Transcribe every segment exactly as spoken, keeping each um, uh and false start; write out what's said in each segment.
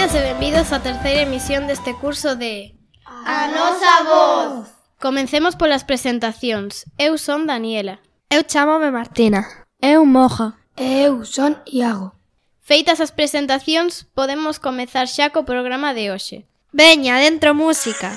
Benvidas e benvidos á terceira emisión deste curso de A nosa voz. Comencemos polas presentacións. Eu son Daniela. Eu chámome Martina. Eu Moja. E eu son Iago. Feitas as presentacións, podemos comezar xa co programa de hoxe. Veña, dentro música.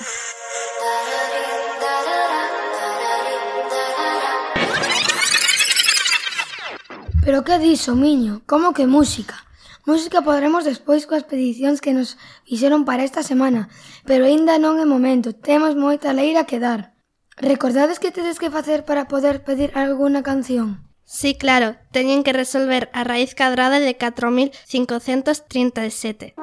Pero que diso, miño? Como que música? Música podremos despois coas peticións que nos fixeron para esta semana, pero aínda non é momento, temos moita leira que dar. Recordades que tedes que facer para poder pedir algunha canción? Sí, claro, teñen que resolver a raíz cadrada de catro mil cincocentos trinta e sete.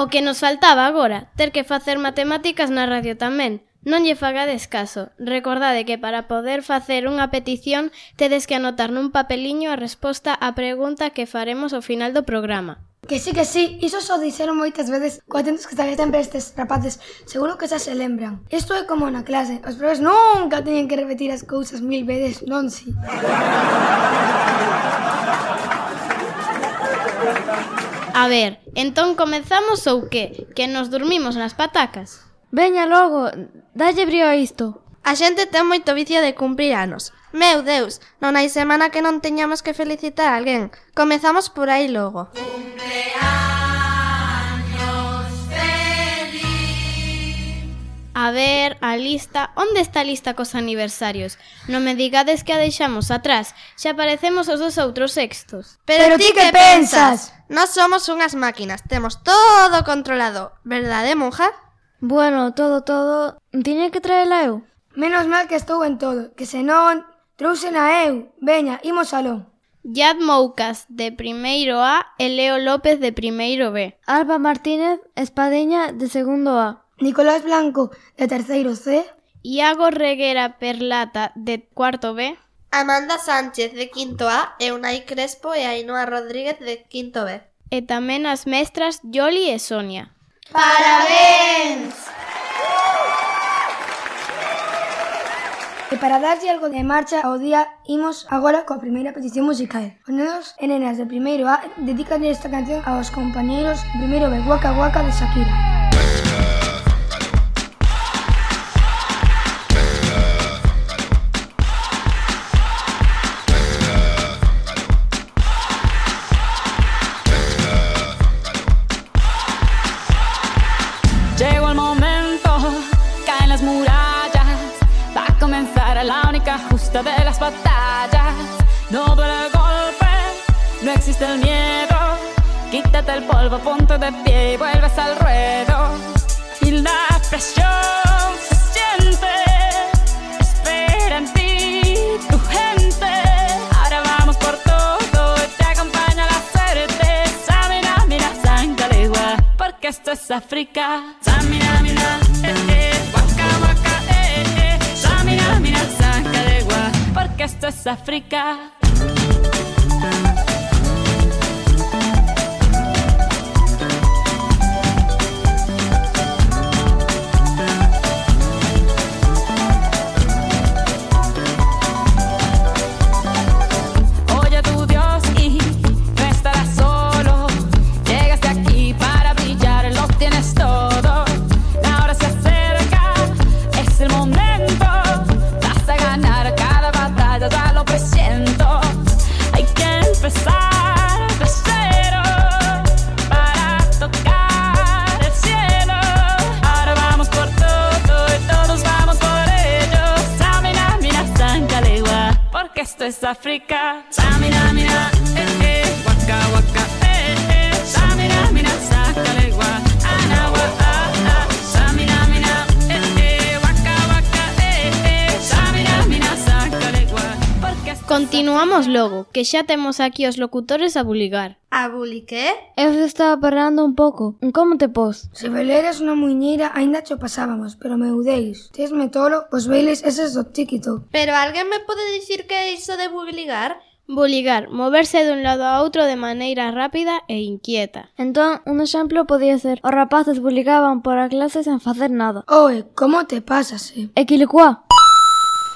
O que nos faltaba agora, ter que facer matemáticas na radio tamén. Non lle fagades caso. Recordade que para poder facer unha petición tedes que anotar nun papeliño a resposta á pregunta que faremos ao final do programa. Que sí, que sí, iso só dixeron moitas veces co atentos que están sempre estes rapaces, seguro que xa se lembran. Isto é como na clase, os profes nunca teñen que repetir as cousas mil veces, non si? A ver, entón comezamos ou que? Que nos dormimos nas patacas? Veña logo, dalle brío a isto. A xente ten moito vicio de cumprir anos. Meu Deus, non hai semana que non teñamos que felicitar a alguén. Comezamos por aí logo. Cumpleaños feliz. A ver, a lista... Onde está a lista cos aniversarios? Non me digades que a deixamos atrás. Xa parecemos os dos outros sextos. Pero, Pero ti que pensas? Nós somos unhas máquinas, temos todo controlado. Verdade, monja? Bueno, todo, todo... Tiña que traela eu? Menos mal que estou en todo, que senón trousena eu. Veña, imos aló. Yad Moucas, de primeiro A, e Leo López, de primeiro B. Alba Martínez Espadeña, de segundo A. Nicolás Blanco, de terceiro C. Iago Reguera Perlata, de cuarto B. Amanda Sánchez, de quinto A, e Unai Crespo e Ainhoa Rodríguez, de quinto B. E tamén as mestras Yoli e Sonia. Parabéns! E para darlle algo de marcha ao día, imos agora coa primeira petición musical. Os nenos e nenas de primeiro A dedican esta canción aos compañeiros de primeiro B, Waka Waka de Shakira. Llegó el momento, caen las murallas, va a comenzar la única justa de las batallas. No duele el golpe, no existe el miedo, quítate el polvo, ponte de pie y vuelves al ruedo. Y la presión se siente, espera en ti tu gente. Ahora vamos por todo, te acompaña la suerte. Samina, mira, sangalegua, porque esto es África. Samina, mira, eh, eh, waka, waka, eh, eh. Samina, mira, sangalegua, porque esto es África. Esto es África. Samina, mira, eh, eh, waka, waka, eh, eh. Samina, mira, sácale, gua, anawa, ah, ah. Samina, mira, eh, eh, waka, waka, eh, eh. Samina, mira, sácale, gua, porque esto... Continuamos logo, que xa temos aquí os locutores a buligar. A buli que? Eu se estaba parando un pouco. Como te pos? Se baileras unha muiñeira, aínda cho pasábamos, pero meu deis, tesme tolo os bailes eses do TikTok. Pero alguén me pode dicir que é iso de buligar? Buligar, moverse dun lado a outro de maneira rápida e inquieta. Entón, un exemplo podía ser: os rapaces buligaban por a clase sen facer nada. Oe, como te pasas, eh? E quilicua?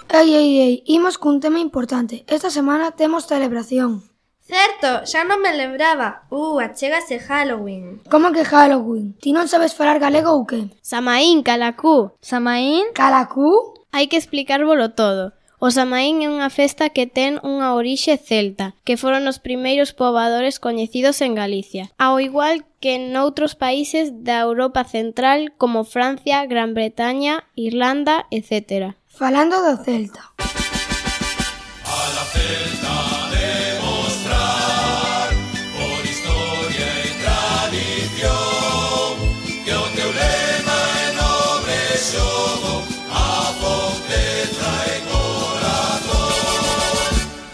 Ei, ei, ei, imos cun tema importante. Esta semana temos celebración. Certo, xa non me lembraba. Uh, achégase Halloween. Como que Halloween? Ti non sabes falar galego ou que? Samaín, calacú. Samaín? Calacú? Hai que explicárvolo todo. O Samaín é unha festa que ten unha orixe celta, que foron os primeiros pobadores coñecidos en Galicia, ao igual que noutros países da Europa Central como Francia, Gran Bretaña, Irlanda, etcétera. Falando do Celta. A la Celta demostrar por historia e tradición que o teu lema é nobre xogo, a fonte trae corazón.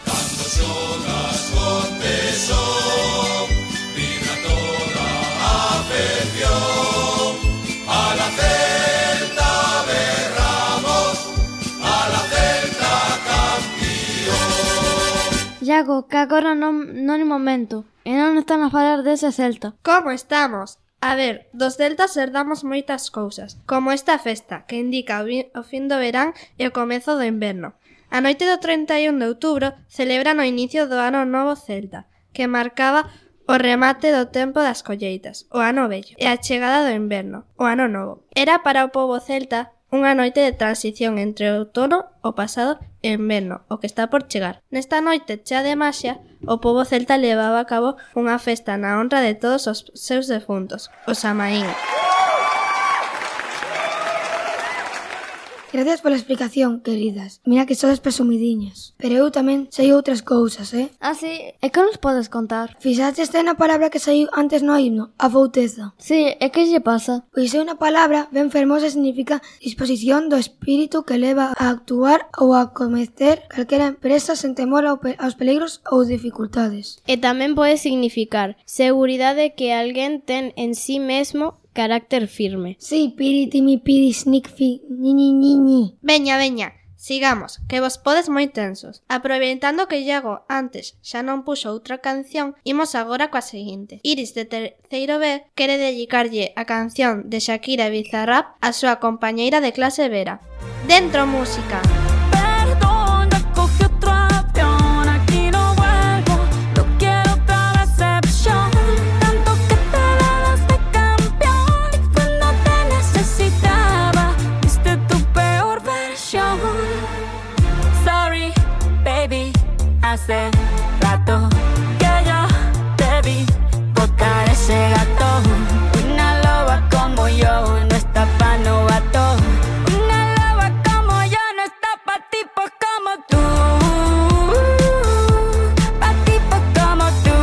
Cando xogas con tesón, vibra toda a afección. A la Celta berramos, a la Celta campeón. Iago, que agora non, non é momento. E non están a falar dese Celta. Como estamos? A ver, dos celtas herdamos moitas cousas, como esta festa, que indica o, vi- o fin do verán e o comezo do inverno. A noite do trinta e un de outubro celebran o inicio do ano novo celta, que marcaba o remate do tempo das colleitas, o ano vello, e a chegada do inverno, o ano novo. Era para o pobo celta unha noite de transición entre o outono, o pasado e o inverno, o que está por chegar. Nesta noite chea de maxia, o pobo celta levaba a cabo unha festa na honra de todos os seus defuntos, o Samaín. Gracias pola explicación, queridas. Mira que sodes presumidiñas. Pero eu tamén sei outras cousas, eh? Ah, sí? E que nos podes contar? Fixaste na palabra que saiu antes no himno, a fouteza. Sí, e que lle pasa? Pois é unha palabra ben fermosa e significa disposición do espírito que leva a actuar ou a cometer calquera empresa sen temor ao pe- aos peligros ou dificultades. E tamén pode significar seguridade que alguén ten en sí mesmo, carácter firme. Sí, piriti mi piri snick fi ni ni ni ni. Veña, veña, sigamos, que vos podes moi tensos. Aproveitando que Iago antes xa non puxo outra canción, imos agora coa seguinte. Iris de terceiro B quere dedicarlle a canción de Shakira e Bizarrap a súa compañeira de clase Vera. Dentro música. Perdón, ya cogí otro avión, aquí no vuelvo, no quiero otra decepción. Tanto que te dabas de campeón y cuando te necesitaba, diste tu peor versión. Sorry, baby, hace rato que yo te vi botar ese gato. Una loba como yo no está pa' novato. Una loba como yo no está pa' tipos como tú. Pa' tipos como tú.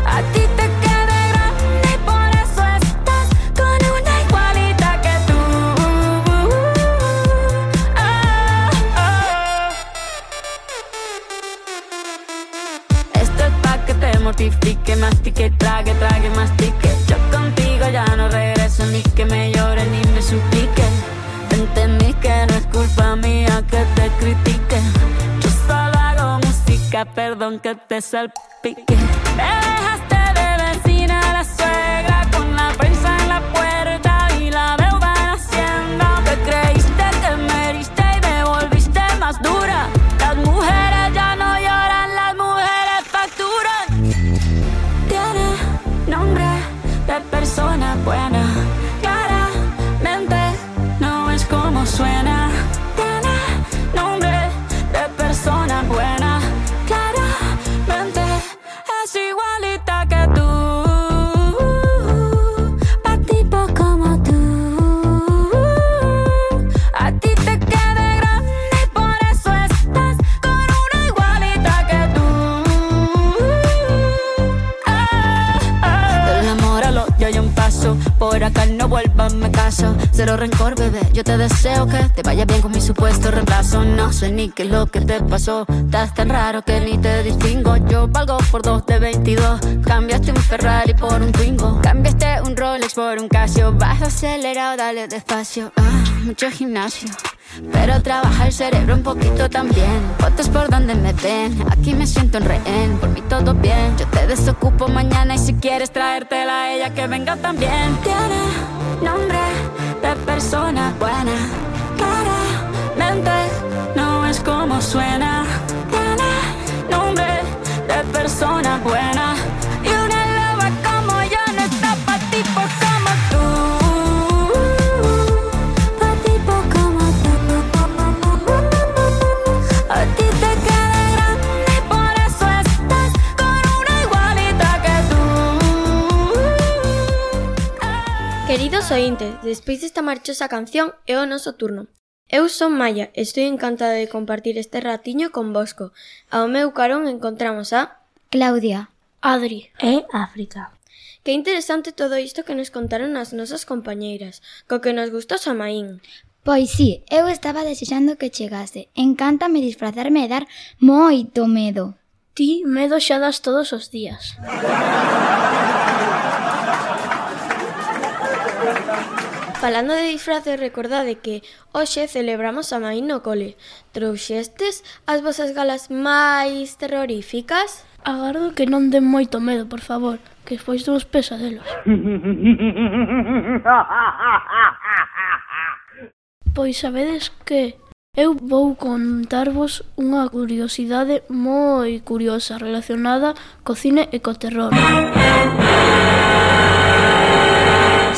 A ti te queda grande y por eso estás con una igualita que tú. Ah, ah. Esto es pa' que te mortifique, mastique, trague, trague, mastique. Yo contigo ya no regreso, ni que me llore ni me suplique. Entendí que no es culpa mía que te critique. Yo solo hago música, perdón que te salpique. Me dejaste de vecina a la suegra con la prensa en la puerta y la deuda en Hacienda. Te creíste que me heriste y me volviste más dura. Las mujeres ya no lloran, las mujeres facturan. Tiene nombre de persona buena, claramente no es como suena. Tiene nombre de persona buena, claramente es igualita que tú. Pa' tipos como tú. A ti te queda grande y por eso estás con una igualita que tú. Ah, ah. Del amor al odio hay un paso, por acá no vuelvas, me caso. Cero rencor, bebé, yo te deseo que te vaya bien con mi supuesto reemplazo. No sé ni qué es lo que te pasó, estás tan raro que ni te distingo. Yo valgo por dos de veintidós, cambiaste un Ferrari por un Twingo. Cambiaste un Rolex por un Casio, vas acelerado, dale despacio. Ah, mucho gimnasio, pero trabaja el cerebro un poquito también. Fotos por donde me ven, aquí me siento en rehén. Por mí todo bien, yo te desocupo mañana y si quieres traértela a ella que venga también. Tiene nombre de persona buena, claramente no es como suena. Tiene nombre persona buena. Y una loba como yo no está pa' tipos como tú. Pa' tipos como tú. A ti te queda grande y por eso estás con una igualita que tú. Queridos ointes, despois desta marchosa canción é o noso turno. Eu son Maya e estou encantada de compartir este ratiño convosco. Ao meu carón encontramos a Claudia, Adri e África. Que interesante todo isto que nos contaron as nosas compañeiras, co que nos gustou Samaín. Pois sí, eu estaba desexando que chegase. Encántame disfrazarme e dar moito medo. Ti medo xa das todos os días. Falando de disfraces, recordade que hoxe celebramos Samaín no cole. Trouxestes as vosas galas máis terroríficas? Agardo que non den moito medo, por favor, que despois dos pesadelos. Pois sabedes que eu vou contarvos unha curiosidade moi curiosa relacionada co cine e co terror.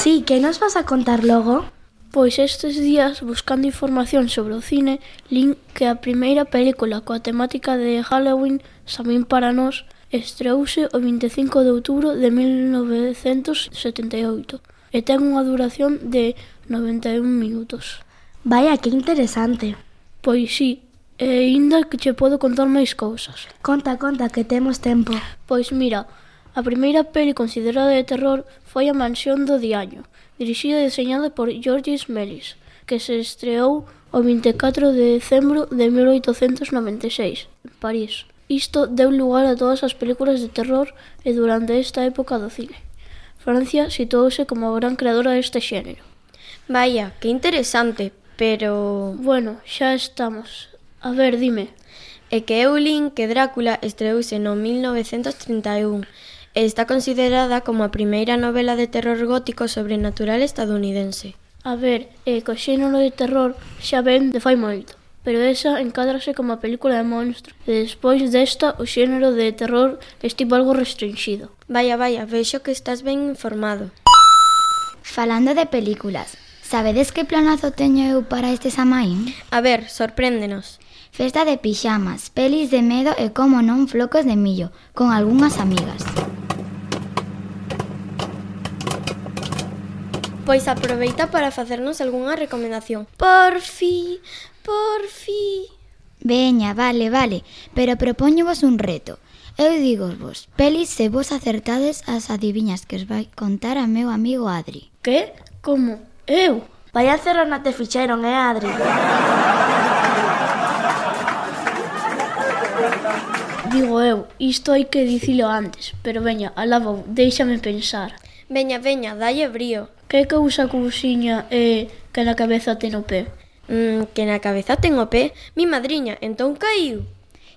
Sí, que nos vas a contar logo? Pois estes días, buscando información sobre o cine, lin que a primeira película coa temática de Halloween, Samín para nós, estreouse o vinte e cinco de outubro de mil novecentos setenta e oito e ten unha duración de noventa e un minutos. Vaya, que interesante. Pois sí, e aínda que che podo contar máis cousas. Conta, conta, que temos tempo. Pois mira, a primeira peli considerada de terror foi A Mansión do Diaño, dirixida e deseñada por Georges Méliès, que se estreou o vinte e catro de decembro de mil oitocentos noventa e seis, en París. Isto deu lugar a todas as películas de terror e durante esta época do cine. Francia situouse como a gran creadora deste xénero. Vaya, que interesante, pero... Bueno, xa estamos. A ver, dime. É que eu lin que Drácula estreouse no mil novecentos trinta e un e está considerada como a primeira novela de terror gótico sobrenatural estadounidense. A ver, é que o xénero de terror xa ven de fai moito, pero esa encádrase como a película de monstro, e despois desta o xénero de terror estivo algo restringido. Vaya, vaya, vexo que estás ben informado. Falando de películas, sabedes que planazo teño eu para este Samaín? A ver, sorpréndenos. Festa de pixamas, pelis de medo e, como non, flocos de millo, con algunhas amigas. Pois aproveita para facernos algunha recomendación. Por fi, por fi. Veña, vale, vale, pero propóñovos un reto. Eu digosvos, pelis se vos acertades as adiviñas que os vai contar a meu amigo Adri. Que? Como? Eu? Vaya cerrona te fixeron, eh, Adri? Digo eu, isto hai que dicilo antes, pero veña, alá vou, déixame pensar. Veña, veña, dalle brío. Que cousa cousiña é que na cabeza ten o pé? Mm, que na cabeza ten o pé? Mi madriña, entón caíu.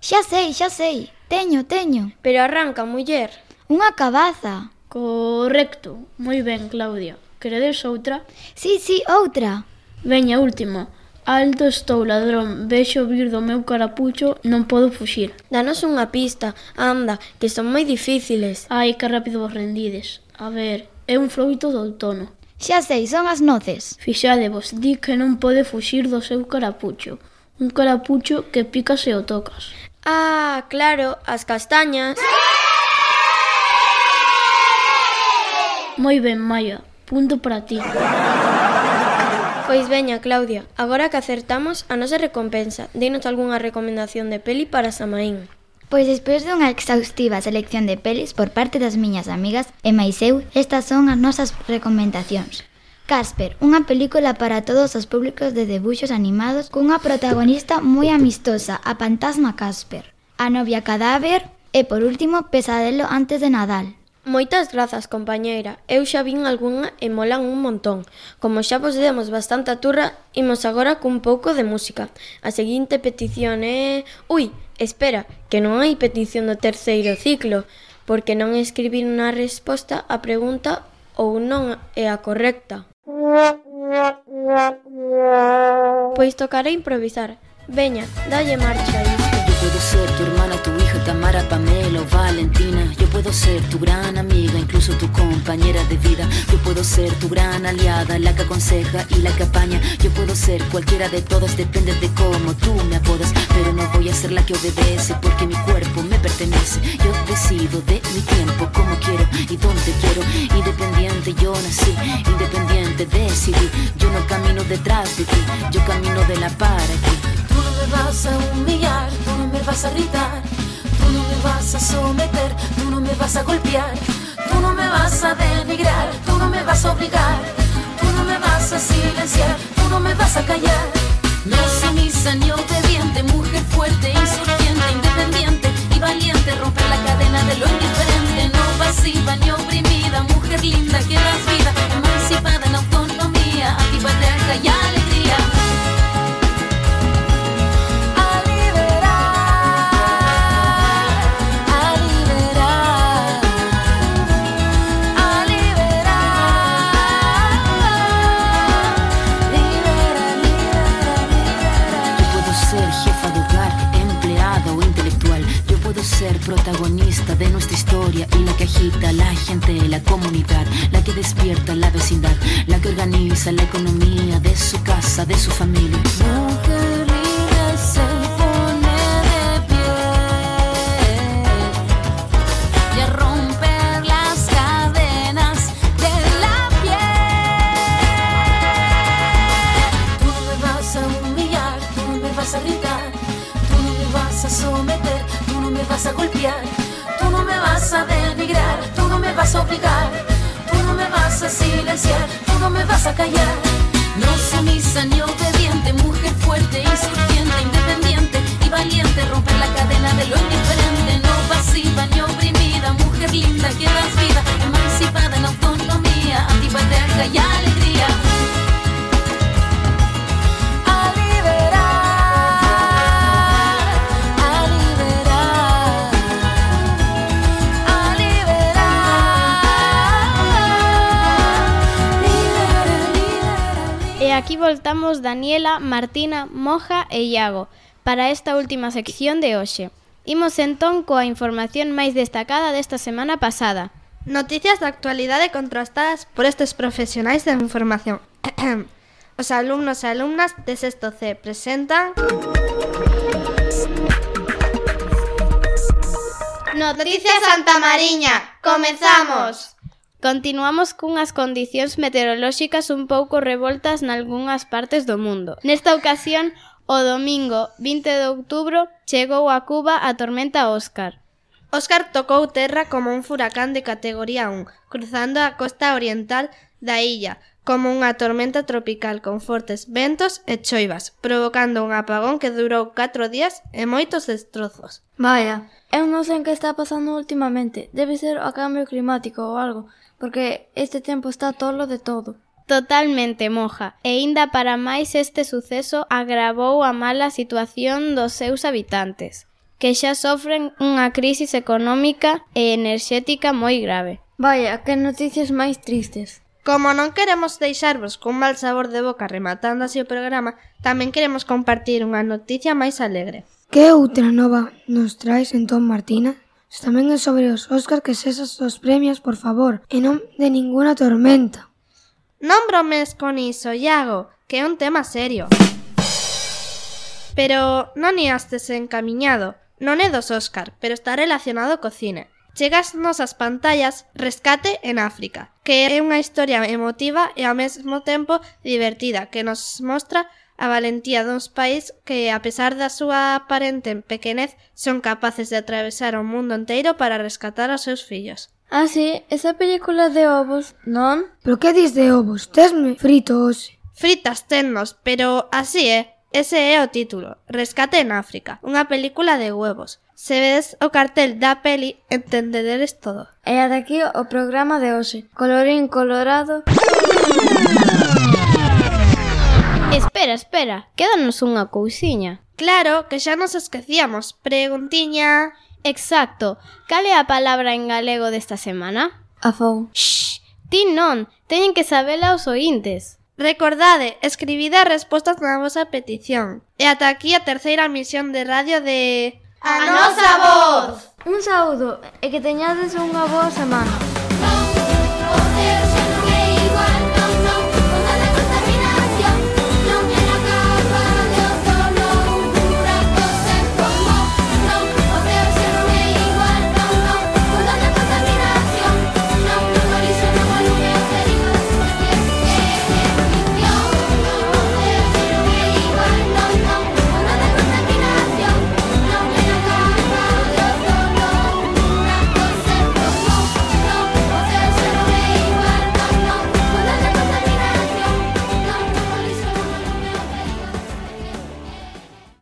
Xa sei, xa sei, teño, teño. Pero arranca, muller. Unha cabaza. Correcto, moi ben, Claudia. Queredes outra? Sí, sí, outra. Veña, última. Alto estou, ladrón, vexo vir do meu carapucho, non podo fuxir. Danos unha pista, anda, que son moi difíciles. Ai, que rápido vos rendides. A ver, é un froito do outono. Xa sei, son as noces. Fixadevos, di que non pode fuxir do seu carapucho. Un carapucho que pica se o tocas. Ah, claro, as castañas. Moi ben, Maya, punto para ti. Pois veña, Claudia, agora que acertamos a nosa recompensa, denos algunha recomendación de peli para Samaín. Pois despois dunha exhaustiva selección de pelis por parte das miñas amigas e máis eu, estas son as nosas recomendacións. Casper, unha película para todos os públicos de debuxos animados cunha protagonista moi amistosa, a fantasma Casper. A novia cadáver e, por último, Pesadelo antes de Nadal. Moitas grazas, compañeira. Eu xa vin algunha e molan un montón. Como xa vos demos bastante turra, imos agora cun pouco de música. A seguinte petición é... Ui, espera, que non hai petición do terceiro ciclo, porque non escribir unha resposta á pregunta ou non é a correcta. Pois tocará improvisar. Veña, dalle marcha a isto. Yo puedo ser tu hermana, tu hija, Tamara, Pamela o Valentina. Yo puedo ser tu gran amiga, incluso tu compañera de vida. Yo puedo ser tu gran aliada, la que aconseja y la que apaña. Yo puedo ser cualquiera de todas, depende de cómo tú me apodas. Pero no voy a ser la que obedece, porque mi cuerpo me pertenece. Yo decido de mi tiempo, como quiero y donde quiero. Independiente yo nací, independiente decidí. Yo no camino detrás de ti, yo camino de la para ti. Tú no me vas a humillar, tú no me vas a gritar, tú no me vas a someter, tú no me vas a golpear, tú no me vas a denigrar, tú no me vas a obligar, tú no me vas a silenciar, tú no me vas a callar. No sumisa ni obediente, mujer fuerte, insurgente, independiente y valiente, romper la cadena de lo indiferente, no pasiva ni oprimida, mujer linda que das vida, emancipada en autonomía, antipatriarca y alegría. Ser protagonista de nuestra historia y la que agita a la gente, la comunidad, la que despierta la vecindad, la que organiza la economía de su casa, de su familia. Mujer libre se pone de pie y a romper las cadenas de la piel. Tú no me vas a humillar, tú no me vas a gritar, tú no me vas a someter, tú no me vas a golpear, tú no me vas a denigrar, tú no me vas a obligar, tú no me vas a silenciar, tú no me vas a callar. No sumisa ni obediente, mujer fuerte, insurgente, independiente y valiente, romper la cadena de lo indiferente, no pasiva ni oprimida, mujer linda que das vida, emancipada en autonomía, antipatriarca y alegría. E aquí voltamos Daniela, Martina, Moja e Iago para esta última sección de hoxe. Imos entón coa información máis destacada desta semana pasada. Noticias de actualidade contrastadas por estes profesionais da información. Os alumnos e alumnas de sexto C presentan... Noticias Santa Mariña. Comezamos. Continuamos cunhas condicións meteorolóxicas un pouco revoltas nalgunhas partes do mundo. Nesta ocasión, o domingo vinte de outubro chegou a Cuba a tormenta Óscar. Óscar tocou terra como un furacán de categoría un, cruzando a costa oriental da illa, como unha tormenta tropical con fortes ventos e choivas, provocando un apagón que durou catro días e moitos destrozos. Vaya, eu non sei en que está pasando últimamente. Debe ser o cambio climático ou algo, porque este tempo está tolo de todo. Totalmente, Moja. E inda para máis este suceso agravou a mala situación dos seus habitantes, que xa sofren unha crisis económica e enerxética moi grave. Vaya, que noticias máis tristes. Como non queremos deixarvos cun mal sabor de boca rematando así o programa, tamén queremos compartir unha noticia máis alegre. Que outra nova nos traes entón, Martina? Tamén é sobre os Óscar que sesas os premios, por favor, e non de ninguna tormenta. Non bromes con iso, Iago, que é un tema serio. Pero non iastes encamiñado. Non é dos Óscar, pero está relacionado co cine. Chegas nosas pantallas Rescate en África, que é unha historia emotiva e ao mesmo tempo divertida, que nos mostra a valentía duns país que, a pesar da súa aparente pequenez, son capaces de atravesar o mundo inteiro para rescatar aos seus fillos. Ah, sí, esa película de ovos, non? Pero que dis de ovos? Tesme frito hoxe. Fritas tennos, pero así é. Ese é o título, Rescate en África, unha película de huevos. Se vedes o cartel da peli, entendederes todo. E ata aquí o programa de hoxe. Colorín colorado... Espera, espera, quédanos unha cousiña. Claro, que xa nos esquecíamos. Preguntiña... Exacto, cal é a palabra en galego desta semana? Afou. Shhh, ti non, teñen que sabela os ointes. Recordade, escribide as respostas na vosa petición. E ata aquí a terceira misión de radio de... A nosa voz. Un saúdo e que teñades unha boa semana. Non poder